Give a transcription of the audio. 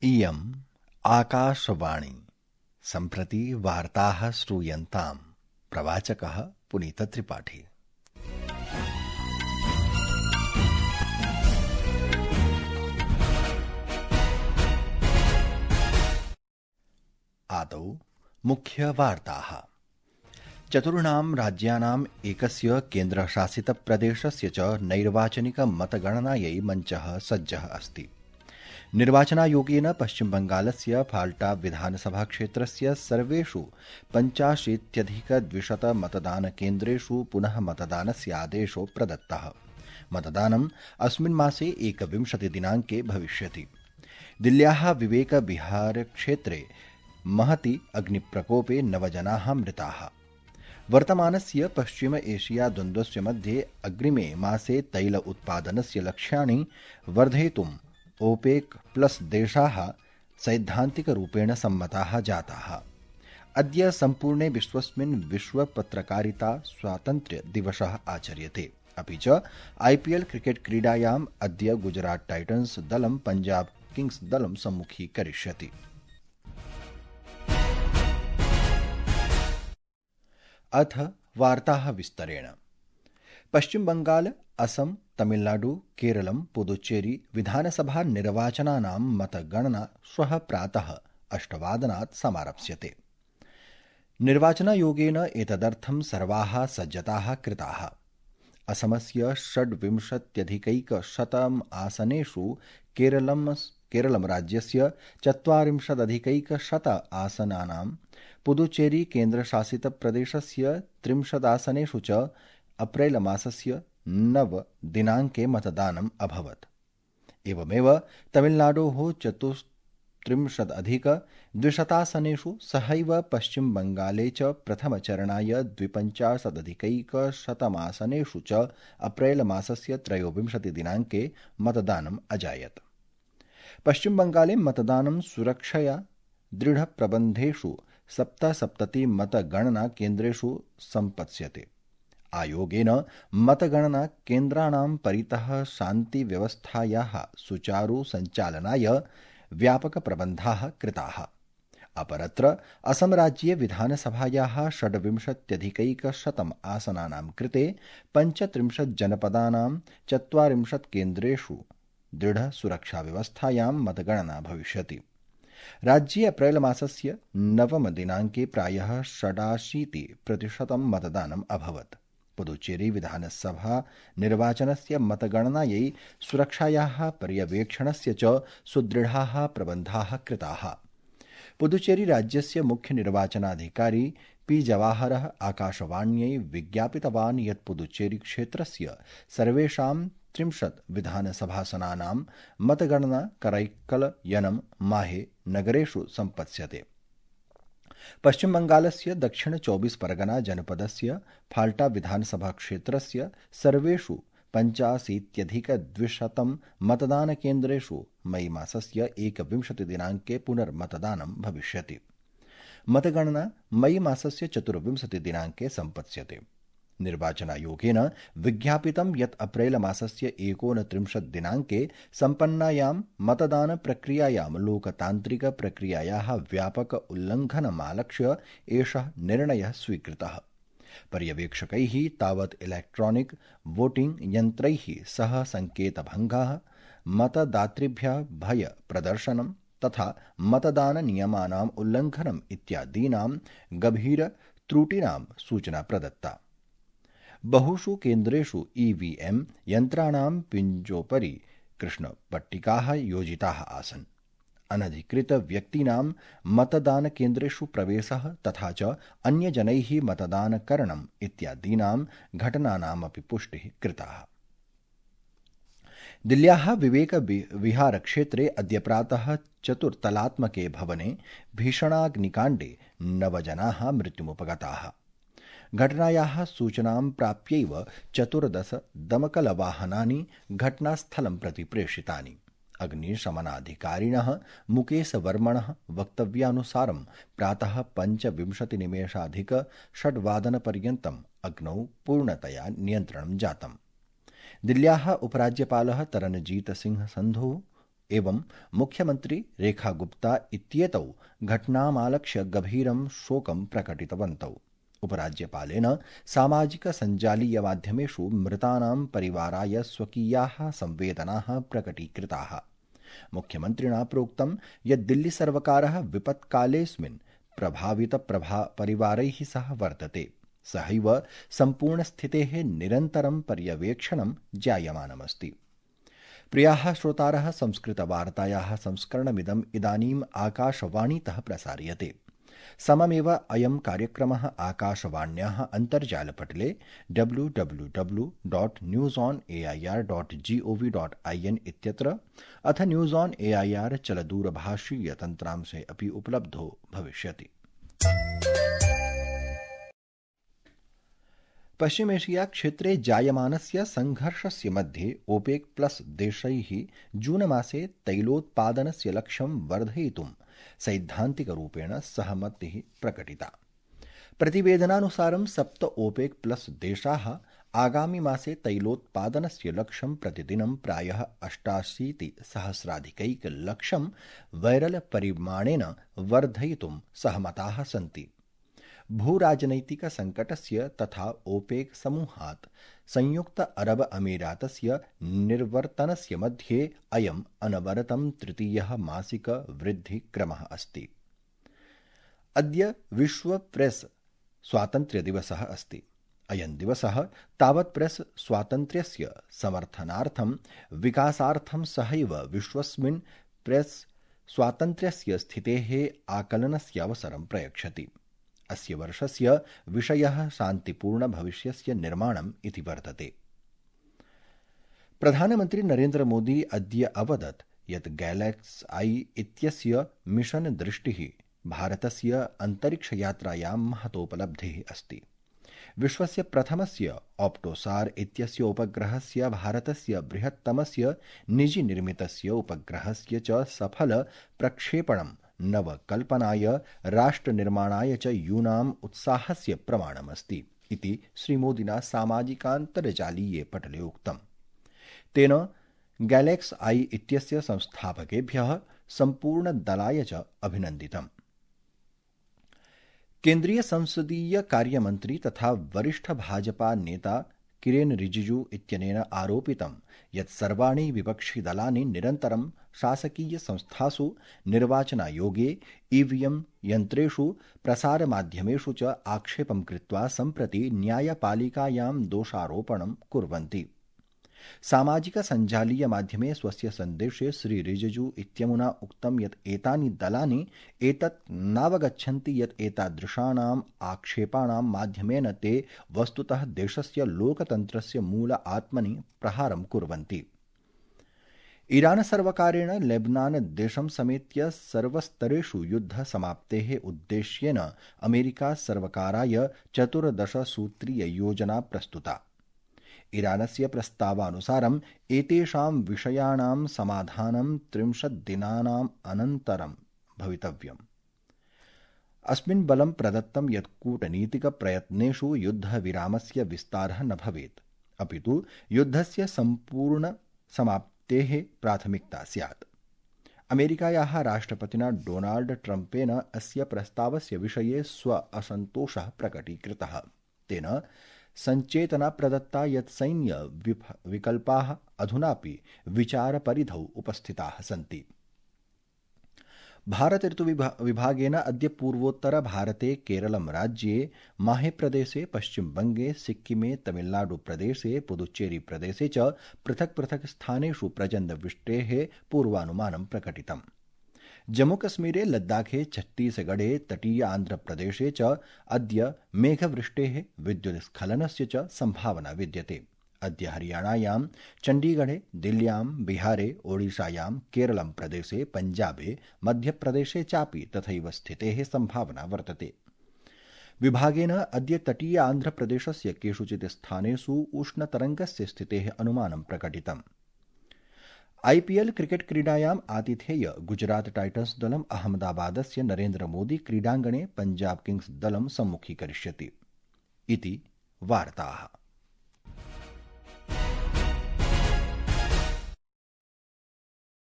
इयम् आकाशवाणी। सम्प्रति वार्ताः श्रूयन्ताम्। प्रवाचकः पुनीतत्रिपाठी। आदौ मुख्यवार्ताः। चतुर्णां राज्यानाम् एकस्य केन्द्रशासितप्रदेशस्य च नैर्वाचनिकमतगणनायै मञ्चः सज्जः अस्ति। निर्वाचनायोगेन पश्चिमबंगालस्य फाल्टा विधानसभाक्षेत्रस्य सर्वेषु 85,200 मतदानकेन्द्रेषु पुनः मतदानस्य आदेशो प्रदत्तः। मतदानम् अस्मिन् मासे 21 दिनाङ्के भविष्यति। दिल्ल्याः विवेक विहार क्षेत्रे महति अग्निप्रकोपे 9 जनाः मृताः। वर्तमानस्य पश्चिम एशिया द्वन्द्वस्य मध्ये अग्रिमे मासे तैल उत्पादनस्य लक्ष्याणि वर्धयितुम् ओपेक प्लस देशाः सैद्धान्तिकरूपेण सम्मताः जाताः। अद्य सम्पूर्णे विश्वस्मिन् विश्व पत्रकारिता स्वातन्त्र्य दिवसः आचर्यते। अपि च IPL क्रिकेट क्रीडायाम् अद्य गुजरात टाइटन्स दलं पंजाब किंग्स दलं सम्मुखीकरिष्यति। अथ वार्ताः विस्तरेण। पश्चिम बंगाल, असम, तमिलनाडु, केरलम, पुदुच्चेरी विधानसभा निर्वाचनानां मतगणना श्वः प्रातः 8 समारप्स्यते। निर्वाचनायोगेन एतदर्थं सर्वाः सज्जताः कृताः। असमस्य 26,100 आसनेषु केरलम राज्यस्य 40,100 आसनानां, पुदुच्चेरी केन्द्रशासितप्रदेशस्य 30 आसनेषु च अप्रैल मासस्य 9 दिनाङ्के मतदानम् अभवत्। एवमेव तमिलनाडोः 34,200 आसनेषु सहैव पश्चिम बंगाले च प्रथमचरणाय 52,100 आसनेषु च अप्रैल मासस्य 23 दिनाङ्के मतदानम् अजायत्। पश्चिम बंगाले मतदानं सुरक्षया दृढप्रबन्धेषु 77 मतगणना केन्द्रेषु सम्पत्स्यते। आयोगेन मतगणना केन्द्राणां परितः शान्तिव्यवस्थायाः सुचारु सञ्चालनाय व्यापकप्रबन्धाः कृताः। अपरत्र असम राज्ये विधानसभायाः 26,100 आसनानां कृते 35 जनपदानां 40 केन्द्रेषु दृढसुरक्षाव्यवस्थायां मतगणना भविष्यति। राज्ये अप्रैल मासस्य 9 दिनाङ्के प्रायः 86% मतदानम् अभवत्। पुदुच्चेरी विधानसभा निर्वाचनस्य मतगणनायै सुरक्षायाः पर्यवेक्षणस्य च सुदृढाः प्रबन्धाः कृताः। पुदुच्चेरी राज्यस्य मुख्य निर्वाचनाधिकारी P. जवाहरः आकाशवाण्यै विज्ञापितवान् यत् पुदुच्चेरी क्षेत्रस्य सर्वेषां 30 विधानसभासनानां मतगणना करैक्कलयनं माहे नगरेषु सम्पत्स्यते। पश्चिम बंगालस्य दक्षिण 24 परगना जनपदस्य फाल्टा विधानसभा क्षेत्रस्य सर्वेषु 85,200 मतदानकेन्द्रेषु मई मासस्य 21 दिनाङ्के पुनर्मतदानं भविष्यति। मतगणना मई मासस्य 24 दिनाङ्के सम्पत्स्यते। निर्वाचनायोगेन विज्ञापितं यत् अप्रैल मासस्य 29 दिनाङ्के सम्पन्नायां मतदानप्रक्रियायां लोकतान्त्रिकप्रक्रियायाः व्यापक उल्लङ्घनमालक्ष्य एषः निर्णयः स्वीकृतः। पर्यवेक्षकैः तावत् इलेक्ट्रॉनिक वोटिंग यन्त्रैः सह संकेतभङ्गः, मतदातृभ्यः भय प्रदर्शनं तथा मतदाननियमानाम् उल्लङ्घनम् इत्यादीनां गभीर त्रुटीनां सूचना प्रदत्ता। बहुषु केन्द्रेषु EVM यन्त्राणां पिञ्जोपरि कृष्णपट्टिकाः योजिताः आसन्। अनधिकृत व्यक्तीनां मतदानकेन्द्रेषु प्रवेशः तथा च अन्यजनैः मतदानकरणम् इत्यादीनां घटनानामपि पुष्टिः कृता। दिल्ल्याः विवेक विहार क्षेत्रे अद्य प्रातः चतुर्तलात्मके भवने भीषणाग्निकाण्डे 9 जनाः मृत्युमुपगताः। घटनायाः सूचनां प्राप्यैव 14 दमकलवाहनानि घटनास्थलं प्रति प्रेषितानि। अग्निशमनाधिकारिणः मुकेश वर्मणः वक्तव्यानुसारं प्रातः 25:06 अग्नौ पूर्णतया नियन्त्रणं जातम्। दिल्ल्याः उपराज्यपालः तरनजीत सिंह संधु एवं मुख्यमंत्री रेखा गुप्ता इत्येतौ घटनामालक्ष्य गभीरं शोकं प्रकटितवन्तौ। उपराज्यपालेन सामाजिकसञ्जालीयमाध्यमेषु मृतानां परिवाराय स्वकीयाः संवेदनाः प्रकटीकृताः। मुख्यमन्त्रिणा प्रोक्तं यत् दिल्लीसर्वकारः विपत्कालेऽस्मिन् प्रभावितपरिवारैः सह वर्तते। सहैव सम्पूर्णस्थितेः निरन्तरं पर्यवेक्षणं जायमानमस्ति। प्रियाः श्रोतारः, संस्कृतवार्तायाः संस्करणमिदम् इदानीम् आकाशवाणीतः प्रसार्यते। सममेव अयं कार्यक्रमः आकाशवाण्याः अन्तर्जालपटले www.newsonair.gov.in इत्यत्र अथ न्यूज़ ऑन एआईआर चलदूरभाषीयतन्त्रांशे अपि उपलब्धो भविष्यति। पश्चिमेशिया क्षेत्रे जायमानस्य संघर्षस्य मध्ये ओपेक प्लस देशैः जूनमासे तैलोत्पादनस्य लक्ष्यं वर्धयितुं सैद्धान्तिकरूपेण सहमतिः प्रकटिता। प्रतिवेदनानुसारं 7 ओपेक प्लस देशाः आगामि मासे तैलोत्पादनस्य लक्ष्यं प्रतिदिनं प्रायः 88,000,000 बैरल-परिमाणेन वर्धयितुं सहमताः सन्ति। भूराजनैतिकसङ्कटस्य तथा ओपेक समूहात् संयुक्त अरब अमीरातस्य निर्वर्तनस्य मध्ये अयम् अनवरतं तृतीयः मासिक वृद्धिक्रमः अस्ति। अद्य विश्व प्रेस स्वातन्त्र्यदिवसः अस्ति। अयं दिवसः तावत् प्रेस स्वातन्त्र्यस्य समर्थनार्थं विकासार्थं सहैव विश्वस्मिन् प्रेस स्वातन्त्र्यस्य स्थितेः आकलनस्य अवसरं प्रयच्छति। अस्य वर्षस्य विषयः शान्तिपूर्णभविष्यस्य निर्माणम् इति वर्तते। प्रधानमन्त्री नरेन्द्र मोदी अद्य अवदत् यत् गैलेक्स आई इत्यस्य मिशन दृष्टिः भारतस्य अन्तरिक्षयात्रायां महतोपलब्धिः अस्ति। विश्वस्य प्रथमस्य ऑप्टोसार इत्यस्य उपग्रहस्य भारतस्य बृहत्तमस्य निजीनिर्मितस्य उपग्रहस्य च सफल प्रक्षेपणं नवकल्पनाय राष्ट्रनिर्माणाय च यूनाम् उत्साहस्य प्रमाणमस्ति इति श्रीमोदिना सामाजिकान्तर्जालीये पटले उक्तम्। तेन गैलेक्स आई इत्यस्य संस्थापकेभ्यः सम्पूर्णदलाय च अभिनन्दितम्। केन्द्रीय संसदीय कार्यमन्त्री तथा वरिष्ठ भाजपा नेता किरेन रिजिजू इत्यनेन आरोपितं यत् सर्वाणि विपक्षिदलानि निरन्तरं शासकीयसंस्थासु निर्वाचनायोगे ईवीएम यन्त्रेषु प्रसारमाध्यमेषु च आक्षेपं कृत्वा सम्प्रति न्यायपालिकायां दोषारोपणं कुर्वन्ति। सामाजिकसञ्जालीयमाध्यमे स्वस्य सन्देशे श्री रिजिजू इत्यमुना उक्तं यत् एतानि दलानि एतत् नावगच्छन्ति यत् एतादृशानाम् आक्षेपाणां माध्यमेन ते वस्तुतः देशस्य लोकतन्त्रस्य मूल आत्मनि प्रहारं कुर्वन्ति। ईरान सर्वकारेण लेबनान देशं समेत्य सर्वस्तरेषु युद्धसमाप्तेः उद्देश्येन अमेरिका सर्वकाराय 14 सूत्रीययोजना प्रस्तुता। ईरानस्य प्रस्तावानुसारम् एतेषां विषयाणां समाधानं 30 दिनानाम् अनन्तरं भवितव्यम्। अस्मिन् बलं प्रदत्तं यत् कूटनीतिकप्रयत्नेषु युद्धविरामस्य विस्तारः न भवेत्, अपितु युद्धस्य सम्पूर्णसमाप्तेः प्राथमिकता स्यात्। अमेरिकायाः राष्ट्रपतिना डोनाल्ड ट्रम्पेन अस्य प्रस्तावस्य विषये स्व असन्तोषः प्रकटीकृतः। तेन सञ्चेतना प्रदत्ता यत् सैन्य विकल्पाः अधुनापि विचारपरिधौ उपस्थिताः सन्ति। भारत ऋतुविभागेन अद्य पूर्वोत्तर भारते केरलं राज्ये माहेप्रदेशे पश्चिमबङ्गे सिक्किमे तमिलनाडुप्रदेशे पुदुच्चेरी प्रदेशे च पृथक् पृथक् स्थानेषु प्रचण्डवृष्टेः पूर्वानुमानं प्रकटितम्। जम्मूकश्मीरे लद्दाखे छत्तीसगढ़े तटीय आन्ध्रप्रदेशे च अद्य मेघवृष्टेः विद्युत्स्खलनस्य च सम्भावना विद्यते। अद्य हरियाणायां चण्डीगढ़े दिल्ल्यां बिहारे ओडिशायां केरलं प्रदेशे पञ्जाबे मध्यप्रदेशे चापि तथैव स्थितेः सम्भावना वर्तते। विभागेन अद्य तटीय आन्ध्रप्रदेशस्य केषुचित् स्थानेषु उष्णतरङ्गस्य स्थितेः अनुमानं प्रकटितम्। आईपीएल क्रिकेट क्रीडायाम् आतिथेय गुजरात टाइटन्स दलम् अहमदाबादस्य नरेन्द्र मोदी क्रीडाङ्गणे पंजाब किंग्स दलं सम्मुखीकरिष्यति इति वार्ताः।